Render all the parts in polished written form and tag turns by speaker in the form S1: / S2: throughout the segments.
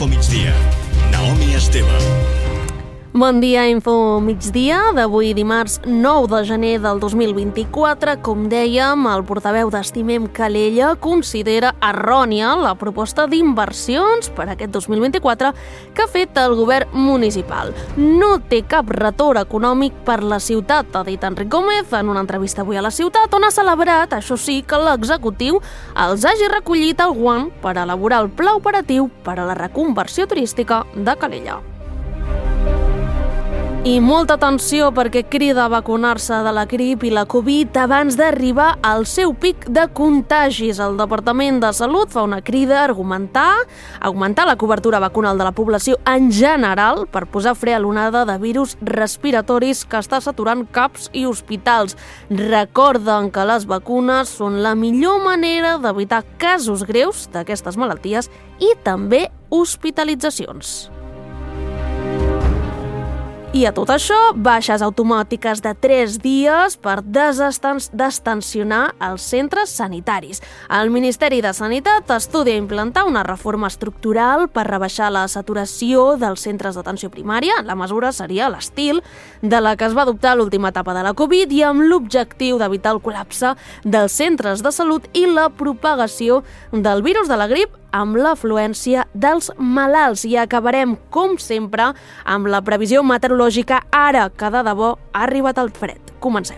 S1: Info Migdia. Naomi Esteve.
S2: Bon dia, Info Migdia, d'avui dimarts 9 de gener del 2024. Com dèiem, el portaveu d'Estimem Calella considera errònia la proposta d'inversions per aquest 2024 que ha fet el govern municipal. No té cap retorn econòmic per la ciutat, ha dit Enric Gómez en una entrevista avui a La Ciutat, on ha celebrat, això sí, que l'executiu els hagi recollit el guant per elaborar el pla operatiu per a la reconversió turística de Calella. I molta atenció perquè crida a vacunar-se de la grip i la Covid abans d'arribar al seu pic de contagis. El Departament de Salut fa una crida a augmentar la cobertura vacunal de la població en general per posar fre a l'onada de virus respiratoris que està saturant CAPs i hospitals. Recorden que les vacunes són la millor manera d'evitar casos greus d'aquestes malalties i també hospitalitzacions. I a tot això, baixes automàtiques de 3 dies per destensionar els centres sanitaris. El Ministeri de Sanitat estudia implantar una reforma estructural per rebaixar la saturació dels centres d'atenció primària. La mesura seria l'estil de la que es va adoptar a l'última etapa de la Covid i amb l'objectiu d'evitar el col·lapse dels centres de salut i la propagació del virus de la grip amb l'afluència dels malalts. I acabarem, com sempre, amb la previsió meteorològica ara que de debò ha arribat el fred. Comencem.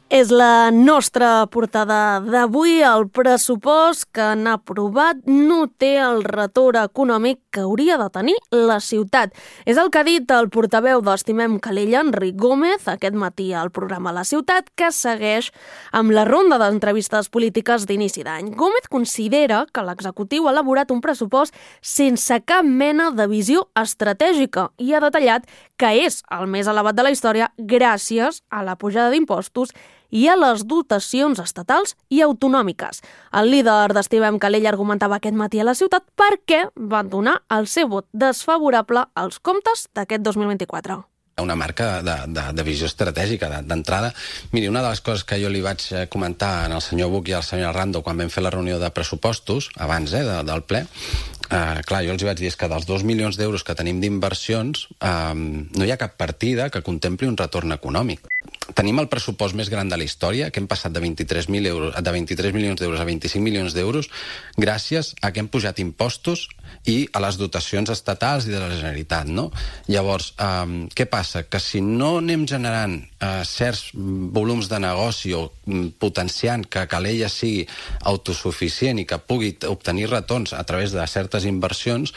S2: És la nostra portada d'avui. El pressupost que han aprovat no té el retorn econòmic que hauria de tenir la ciutat. És el que ha dit el portaveu d'Estimem Calella, Enric Gómez, aquest matí al programa La Ciutat, que segueix amb la ronda d'entrevistes polítiques d'inici d'any. Gómez considera que l'executiu ha elaborat un pressupost sense cap mena de visió estratègica i ha detallat que és el més elevat de la història gràcies a la pujada d'impostos i a les dotacions estatals i autonòmiques. El líder d'Estimem Calella argumentava aquest matí a La Ciutat per què van donar el seu vot desfavorable als comptes d'aquest 2024.
S3: Una marca de visió estratègica d'entrada. Miri, una de les coses que jo li vaig comentar al senyor Buch i al senyor Arrando quan vam fer la reunió de pressupostos, abans del ple, clar, jo els vaig dir que dels 2 milions d'euros que tenim d'inversions no hi ha cap partida que contempli un retorn econòmic. Tenim el pressupost més gran de la història, que hem passat de 23 milions d'euros a 25 milions d'euros gràcies a que hem pujat impostos i a les dotacions estatals i de la Generalitat, no? Llavors, què passa? Que si no anem generant certs volums de negoci o potenciant que Calella sigui autosuficient i que pugui obtenir retorns a través de certes inversions,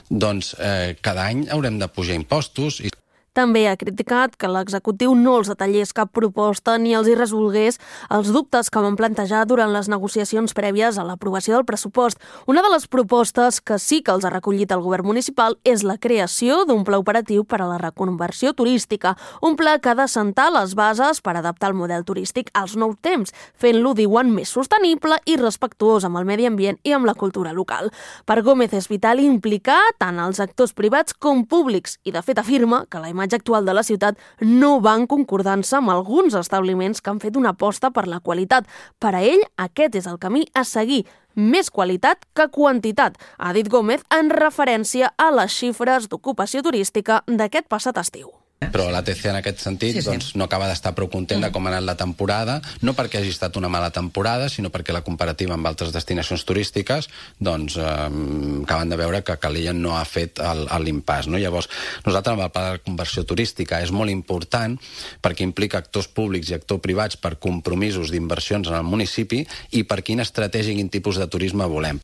S3: doncs cada any haurem de pujar impostos i
S2: també ha criticat que l'executiu no els detallés cap proposta ni els hi resolgués els dubtes que van plantejar durant les negociacions prèvies a l'aprovació del pressupost. Una de les propostes que sí que els ha recollit el govern municipal és la creació d'un pla operatiu per a la reconversió turística, un pla que ha d'assentar les bases per adaptar el model turístic als nous temps, fent-lo, diuen, més sostenible i respectuós amb el medi ambient i amb la cultura local. Per Gómez és vital implicar tant els actors privats com públics i, de fet, afirma que la imatge actual de la ciutat no va en concordança amb alguns establiments que han fet una aposta per la qualitat. Per a ell, aquest és el camí a seguir, més qualitat que quantitat, ha dit Gómez en referència a les xifres d'ocupació turística d'aquest passat estiu.
S3: Però l'ATC en aquest sentit doncs, no acaba d'estar prou content de com ha anat la temporada, no perquè hagi estat una mala temporada, sinó perquè la comparativa amb altres destinacions turístiques doncs, acaben de veure que Calella no ha fet l'impàs. No? Llavors, nosaltres amb el pla de conversió turística és molt important perquè implica actors públics i actors privats per compromisos d'inversions en el municipi i per quina estratègia i quin tipus de turisme volem.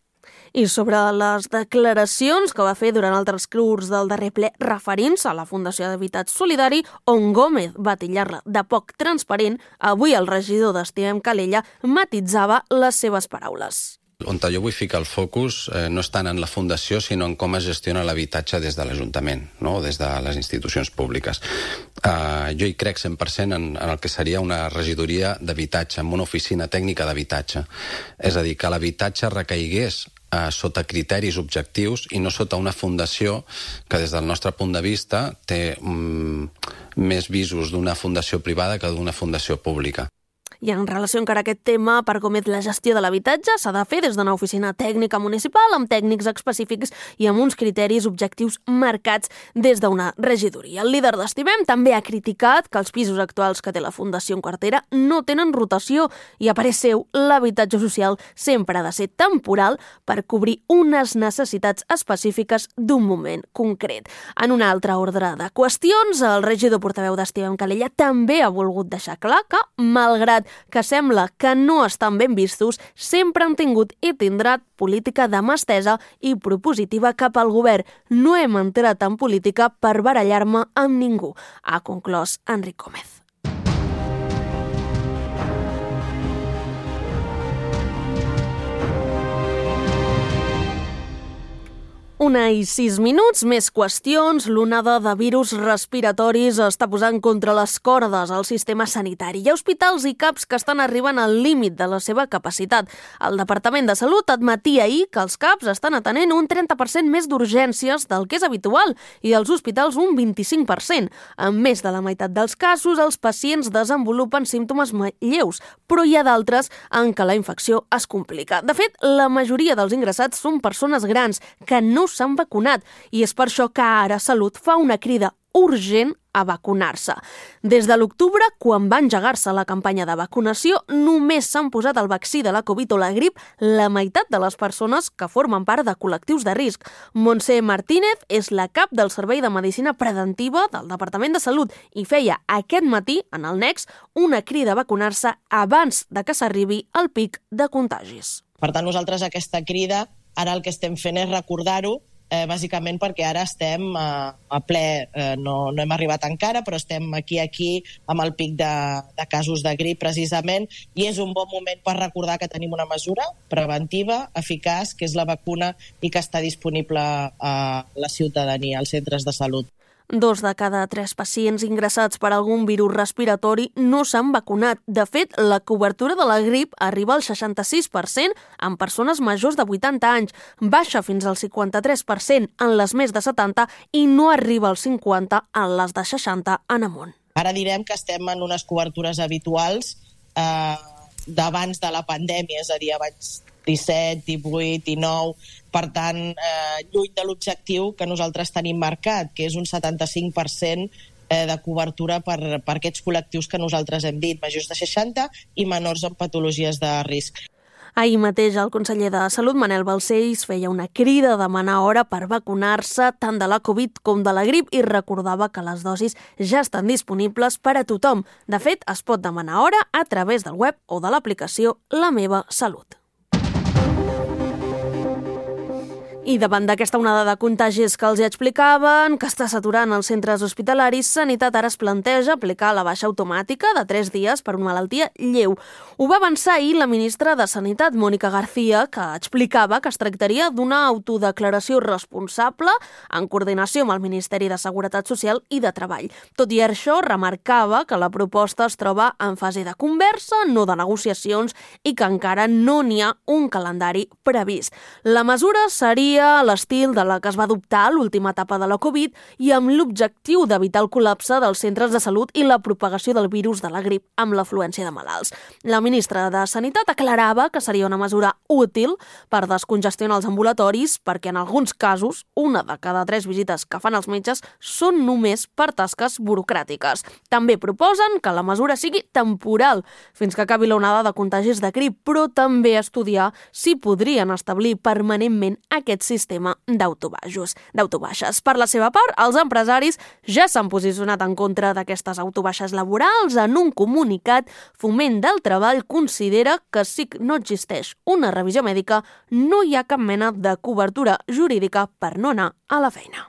S2: I sobre les declaracions que va fer durant el transcurs del darrer ple referint-se a la Fundació d'Habitatge Solidari, on Gómez va titllar-la de poc transparent, avui el regidor d'Estimem Calella matitzava les seves paraules.
S3: On jo vull ficar el focus no és tant en la Fundació, sinó en com es gestiona l'habitatge des de l'Ajuntament, no? Des de les institucions públiques. Jo hi crec 100% en el que seria una regidoria d'habitatge, amb una oficina tècnica d'habitatge. És a dir, que l'habitatge recaigués sota criteris objectius i no sota una fundació que des del nostre punt de vista té més visos d'una fundació privada que d'una fundació pública.
S2: I en relació encara a aquest tema, per com és la gestió de l'habitatge, s'ha de fer des d'una oficina tècnica municipal amb tècnics específics i amb uns criteris objectius marcats des d'una regidoria. El líder d'Estimem també ha criticat que els pisos actuals que té la Fundació en cartera no tenen rotació i, a parer seu, l'habitatge social sempre ha de ser temporal per cobrir unes necessitats específiques d'un moment concret. En un altre ordre de qüestions, el regidor portaveu d'Estimem Calella també ha volgut deixar clar que, malgrat que sembla que no estan ben vistos, sempre han tingut i tindran política de mà estesa i propositiva cap al govern. No hem entrat en política per barallar-me amb ningú, ha conclòs Enric Gómez. 1:06, més qüestions. L'onada de virus respiratoris està posant contra les cordes al sistema sanitari. Hi ha hospitals i CAPs que estan arribant al límit de la seva capacitat. El Departament de Salut admetia ahir que els CAPs estan atenent un 30% més d'urgències del que és habitual i els hospitals un 25%. En més de la meitat dels casos, els pacients desenvolupen símptomes lleus, però hi ha d'altres en què la infecció es complica. De fet, la majoria dels ingressats són persones grans que no s'han vacunat i és per això que ara Salut fa una crida urgent a vacunar-se. Des de l'octubre, quan va engegar-se la campanya de vacunació, només s'han posat el vaccí de la Covid o la grip la meitat de les persones que formen part de col·lectius de risc. Montse Martínez és la cap del Servei de Medicina Preventiva del Departament de Salut i feia aquest matí, en el Nex, una crida a vacunar-se abans de que s'arribi al pic de contagis.
S4: Per tant, nosaltres aquesta crida, ara el que estem fent és recordar-ho, bàsicament perquè ara estem a ple, no hem arribat encara, però estem aquí amb el pic de casos de grip precisament, i és un bon moment per recordar que tenim una mesura preventiva, eficaç, que és la vacuna i que està disponible a la ciutadania, als centres de salut.
S2: 2 de cada 3 pacients ingressats per algun virus respiratori no s'han vacunat. De fet, la cobertura de la grip arriba al 66% en persones majors de 80 anys, baixa fins al 53% en les més de 70 i no arriba al 50% en les de 60 en amunt.
S4: Ara direm que estem en unes cobertures habituals d'abans de la pandèmia, és a dir, abans 17, 18, 19, per tant, lluny de l'objectiu que nosaltres tenim marcat, que és un 75% de cobertura per aquests col·lectius que nosaltres hem dit, majors de 60 i menors amb patologies de risc.
S2: Ahir mateix el conseller de Salut, Manel Balcells, feia una crida a demanar hora per vacunar-se tant de la Covid com de la grip i recordava que les dosis ja estan disponibles per a tothom. De fet, es pot demanar hora a través del web o de l'aplicació La Meva Salut. I davant d'aquesta onada de contagis que els explicaven, que està saturant els centres hospitalaris, Sanitat ara es planteja aplicar la baixa automàtica de 3 dies per una malaltia lleu. Ho va avançar ahir la ministra de Sanitat, Mónica García, que explicava que es tractaria d'una autodeclaració responsable en coordinació amb el Ministeri de Seguretat Social i de Treball. Tot i això, remarcava que la proposta es troba en fase de conversa, no de negociacions, i que encara no n'hi ha un calendari previst. La mesura seria a l'estil de la que es va adoptar a l'última etapa de la Covid i amb l'objectiu d'evitar el col·lapse dels centres de salut i la propagació del virus de la grip amb l'afluència de malalts. La ministra de Sanitat aclarava que seria una mesura útil per descongestionar els ambulatoris perquè en alguns casos, 1 de cada 3 visites que fan els metges són només per tasques burocràtiques. També proposen que la mesura sigui temporal fins que acabi l'onada de contagis de grip, però també estudiar si podrien establir permanentment aquest sistema d'autobaixes. Per la seva part, els empresaris ja s'han posicionat en contra d'aquestes autobaixes laborals. En un comunicat, Foment del Treball considera que si no existeix una revisió mèdica, no hi ha cap mena de cobertura jurídica per no anar a la feina.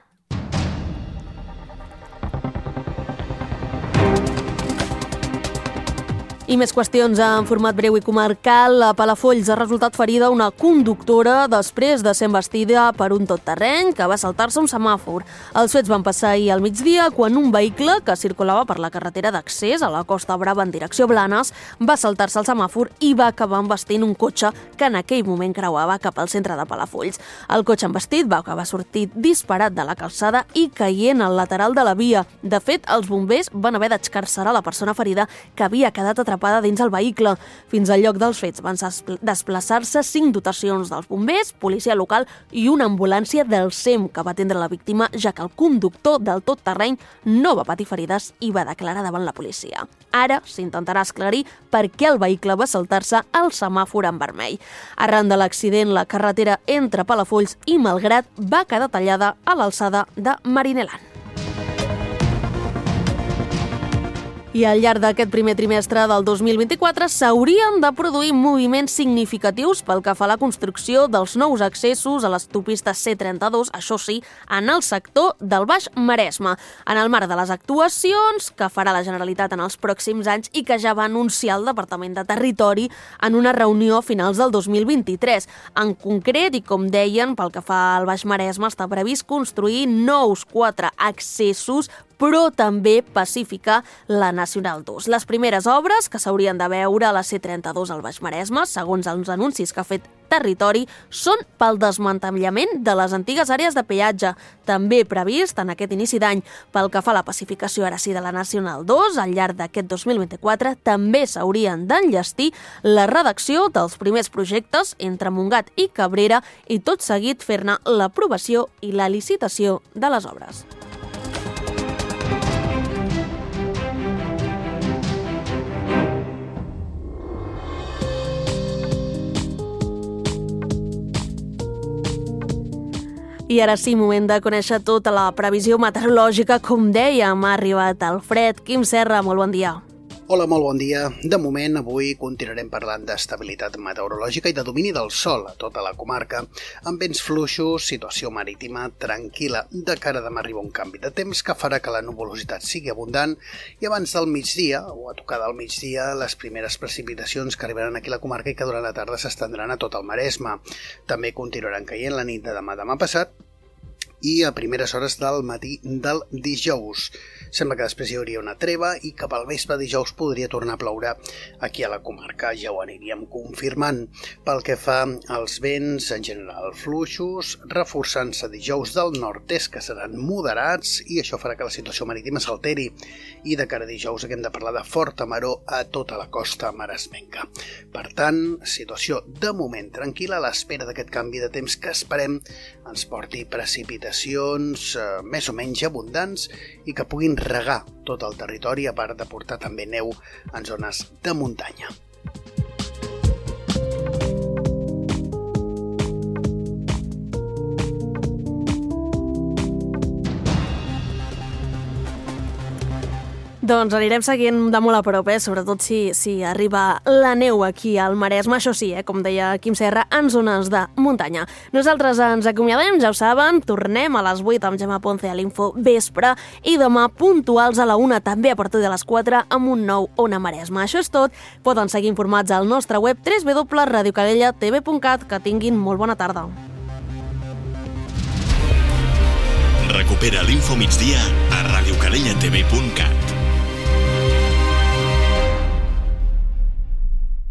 S2: I més qüestions en format breu i comarcal. A Palafolls ha resultat ferida una conductora després de ser embestida per un totterreny que va saltar-se un semàfor. Els fets van passar ahir al migdia quan un vehicle que circulava per la carretera d'accés a la Costa Brava en direcció Blanes va saltar-se el semàfor i va acabar embestint un cotxe que en aquell moment creuava cap al centre de Palafolls. El cotxe embestit va acabar sortit disparat de la calçada i caient al lateral de la via. De fet, els bombers van haver d'excarcerar la persona ferida que havia quedat atrapada atrapada dins el vehicle. Fins al lloc dels fets van desplaçar-se 5 dotacions dels bombers, policia local i una ambulància del SEM que va atendre la víctima, ja que el conductor del tot-terreny no va patir ferides i va declarar davant la policia. Ara s'intentarà esclarir per què el vehicle va saltar-se al semàfor en vermell. Arran de l'accident, la carretera entre Palafolls i Malgrat va quedar tallada a l'alçada de Marineland. I al llarg d'aquest primer trimestre del 2024 s'haurien de produir moviments significatius pel que fa a la construcció dels nous accessos a l'autopista C32, això sí, en el sector del Baix Maresme, en el marc de les actuacions que farà la Generalitat en els pròxims anys i que ja va anunciar el Departament de Territori en una reunió a finals del 2023. En concret, i com deien, pel que fa al Baix Maresme, està previst construir nous 4 accessos, però també pacificar la Nacional 2. Les primeres obres que s'haurien de veure a la C32 al Baix Maresme, segons els anuncis que ha fet Territori, són pel desmantellament de les antigues àrees de peatge, també previst en aquest inici d'any. Pel que fa a la pacificació ara sí de la Nacional 2, al llarg d'aquest 2024 també s'haurien d'enllestir la redacció dels primers projectes entre Montgat i Cabrera i tot seguit fer-ne l'aprovació i la licitació de les obres. I ara sí, moment de conèixer tota la previsió meteorològica. Com dèiem, ha arribat el fred. Quim Serra, molt bon dia.
S5: Hola, molt bon dia. De moment, avui continuarem parlant d'estabilitat meteorològica i de domini del sol a tota la comarca, amb vents fluixos, situació marítima tranquil·la. De cara a demà arriba un canvi de temps que farà que la nuvolositat sigui abundant i abans del migdia, o a tocar del migdia, les primeres precipitacions que arribaran aquí a la comarca i que durant la tarda s'estendran a tot el Maresme. També continuaran caient la nit de demà passat i a primeres hores del matí del dijous. Sembla que després hi hauria una treva i cap al vespre dijous podria tornar a ploure aquí a la comarca. Ja ho aniríem confirmant. Pel que fa als vents, en general fluixos, reforçant-se dijous del nord-est, que seran moderats, i això farà que la situació marítima s'alteri. I de cara a dijous haguem de parlar de forta maror a tota la costa maresmenca. Per tant, situació de moment tranquil·la a l'espera d'aquest canvi de temps que esperem ens porti precipitacions més o menys abundants i que puguin regar tot el territori, a part de portar també neu en zones de muntanya.
S2: Doncs anirem seguint de molt a prop, sobretot si arriba la neu aquí al Maresme, això sí, com deia Quim Serra, en zones de muntanya. Nosaltres ens acomiadem, ja ho saben, tornem a les 8 amb Gemma Ponce a l'Info Vespre i demà puntuals a la 1, també a partir de les 4, amb un nou Ona Maresme. Això és tot, poden seguir informats al nostre web www.radiocalellatv.cat. Que tinguin molt bona tarda.
S1: Recupera l'Info Migdia a radiocalellatv.cat.